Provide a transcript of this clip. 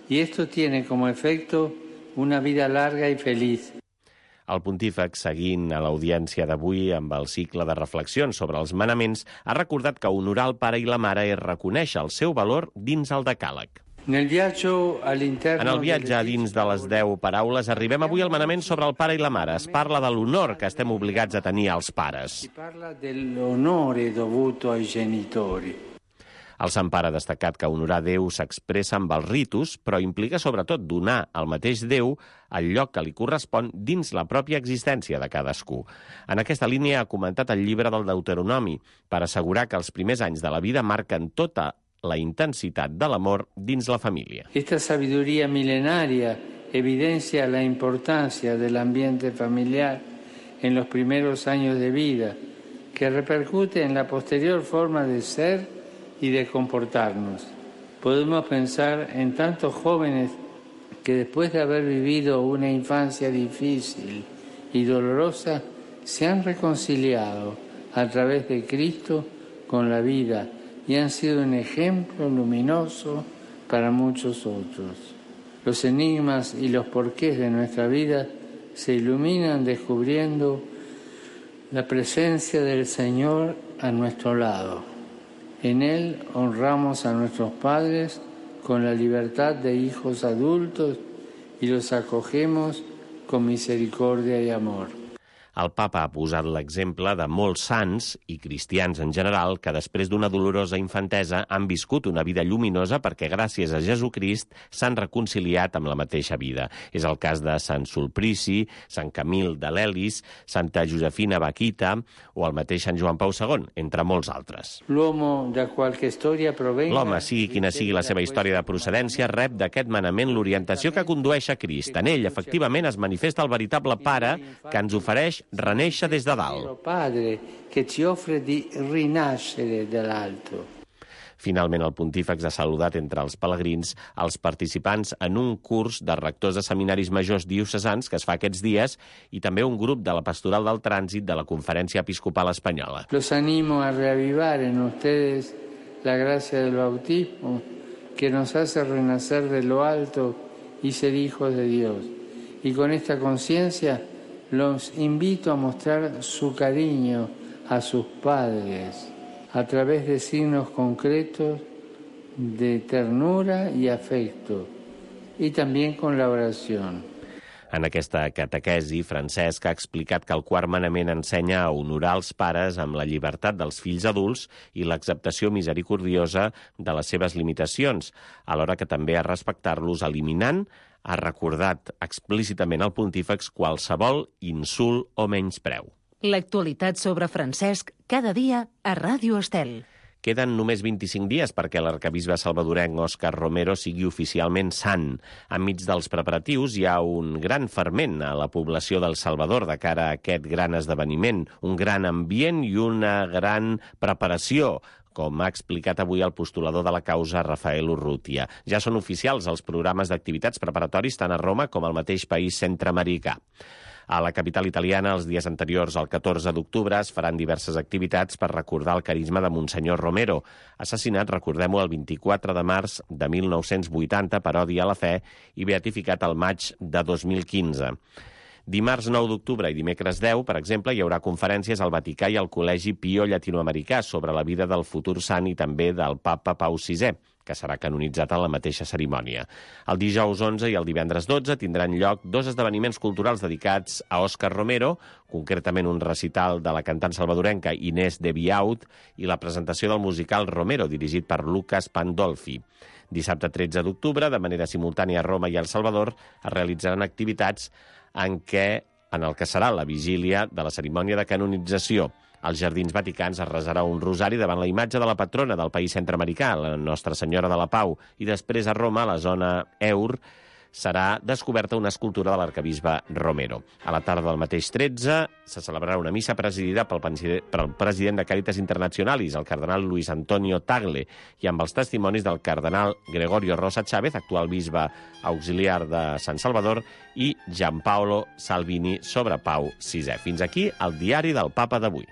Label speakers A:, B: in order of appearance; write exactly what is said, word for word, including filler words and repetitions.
A: Y esto tiene como efecto una vida larga y feliz.
B: El pontífex, seguint a l'audiència d'avui amb el cicle de reflexions sobre els manaments, ha recordat que honorar el pare i la mare és reconèixer el seu valor dins el decàleg.
A: En el
B: viatge a dins de les deu paraules arribem avui al manament sobre el pare i la mare. Es parla de l'honor que estem obligats a tenir als pares.
A: Si parla dell'onore dovuto ai genitori.
B: El Sant Pare ha destacat que honorar Déu s'expressa amb els ritus, però implica sobretot donar al mateix Déu el lloc que li correspon dins la pròpia existència de cadascú. En aquesta línia ha comentat el llibre del Deuteronomi per assegurar que els primers anys de la vida marquen tota la intensitat de l'amor dins la família.
A: Esta sabiduría milenaria evidencia la importancia del ambiente familiar en los primeros años de vida, que repercute en la posterior forma de ser y de comportarnos. Podemos pensar en tantos jóvenes que después de haber vivido una infancia difícil y dolorosa, se han reconciliado a través de Cristo con la vida y han sido un ejemplo luminoso para muchos otros. Los enigmas y los porqués de nuestra vida se iluminan descubriendo la presencia del Señor a nuestro lado. En él honramos a nuestros padres con la libertad de hijos adultos y los acogemos con misericordia y amor.
B: El papa ha posat l'exemple de molts sants i cristians en general que després d'una dolorosa infantesa han viscut una vida lluminosa perquè gràcies a Jesucrist s'han reconciliat amb la mateixa vida. És el cas de Sant Sulpici, Sant Camil de l'Elis, Santa Josefina Baquita o el mateix Sant Joan Pau segon, entre molts altres. L'home, sigui quina sigui la seva història de procedència, rep d'aquest manament l'orientació que condueix a Crist. En ell, efectivament, es manifesta el veritable pare que ens ofereix reneixer des de dalt. Finalment, el pontífex ha saludat entre els pelegrins els participants en un curs de rectors de seminaris majors diocesans que es fa aquests dies i també un grup de la Pastoral del Trànsit de la Conferència Episcopal Espanyola.
A: Los animo a reavivar en ustedes la gracia del bautismo que nos hace renacer de lo alto y ser hijos de Dios. Y con esta conciencia los invito a mostrar su cariño a sus padres a través de signos concretos de ternura y afecto, y también con la oración.
B: En aquesta catequesi, Francesc ha explicat que el quart manament ensenya a honorar els pares amb la llibertat dels fills adults i l'acceptació misericordiosa de les seves limitacions, alhora que també a respectar-los eliminant ha recordat explícitament al pontífex qualsevol insult o menyspreu.
C: L'actualitat sobre Francesc cada dia a Ràdio Estel.
B: Queden només vint-i-cinc dies perquè l'arquebisbe salvadorenc Òscar Romero sigui oficialment sant. Enmig dels preparatius hi ha un gran ferment a la població del Salvador de cara a aquest gran esdeveniment, un gran ambient i una gran preparació, com ha explicat avui el postulador de la causa Rafael Urrutia. Ja són oficials els programes d'activitats preparatoris tant a Roma com al mateix país centreamericà. A la capital italiana, els dies anteriors al catorze d'octubre, es faran diverses activitats per recordar el carisma de Monsenyor Romero, assassinat, recordem-ho, el vint-i-quatre de març de mil nou-cents vuitanta per odi a la fe i beatificat al maig de dos mil quinze. Dimarts nou d'octubre i dimecres deu, per exemple, hi haurà conferències al Vaticà i al Col·legi Pio Llatinoamericà sobre la vida del futur sant i també del papa Pau sisè, que serà canonitzat en la mateixa cerimònia. El dijous onze i el divendres dotze tindran lloc dos esdeveniments culturals dedicats a Òscar Romero, concretament un recital de la cantant salvadorenca Inés de Biaut i la presentació del musical Romero, dirigit per Lucas Pandolfi. Dissabte tretze d'octubre, de manera simultània a Roma i a El Salvador, es realitzaran activitats en què, en el que serà la vigília de la cerimònia de canonització. Als Jardins Vaticans es resarà un rosari davant la imatge de la patrona del país centreamericà, la Nostra Senyora de la Pau, i després a Roma, a la zona Eur, serà descoberta una escultura de l'arquebisbe Romero. A la tarda del mateix tretze se celebrarà una missa presidida pel president de Càritas Internacionalis, el cardenal Luis Antonio Tagle, i amb els testimonis del cardenal Gregorio Rosa Chávez, actual bisbe auxiliar de Sant Salvador, i Gianpaolo Salvini sobre Pau sisè. Fins aquí el diari del Papa d'avui.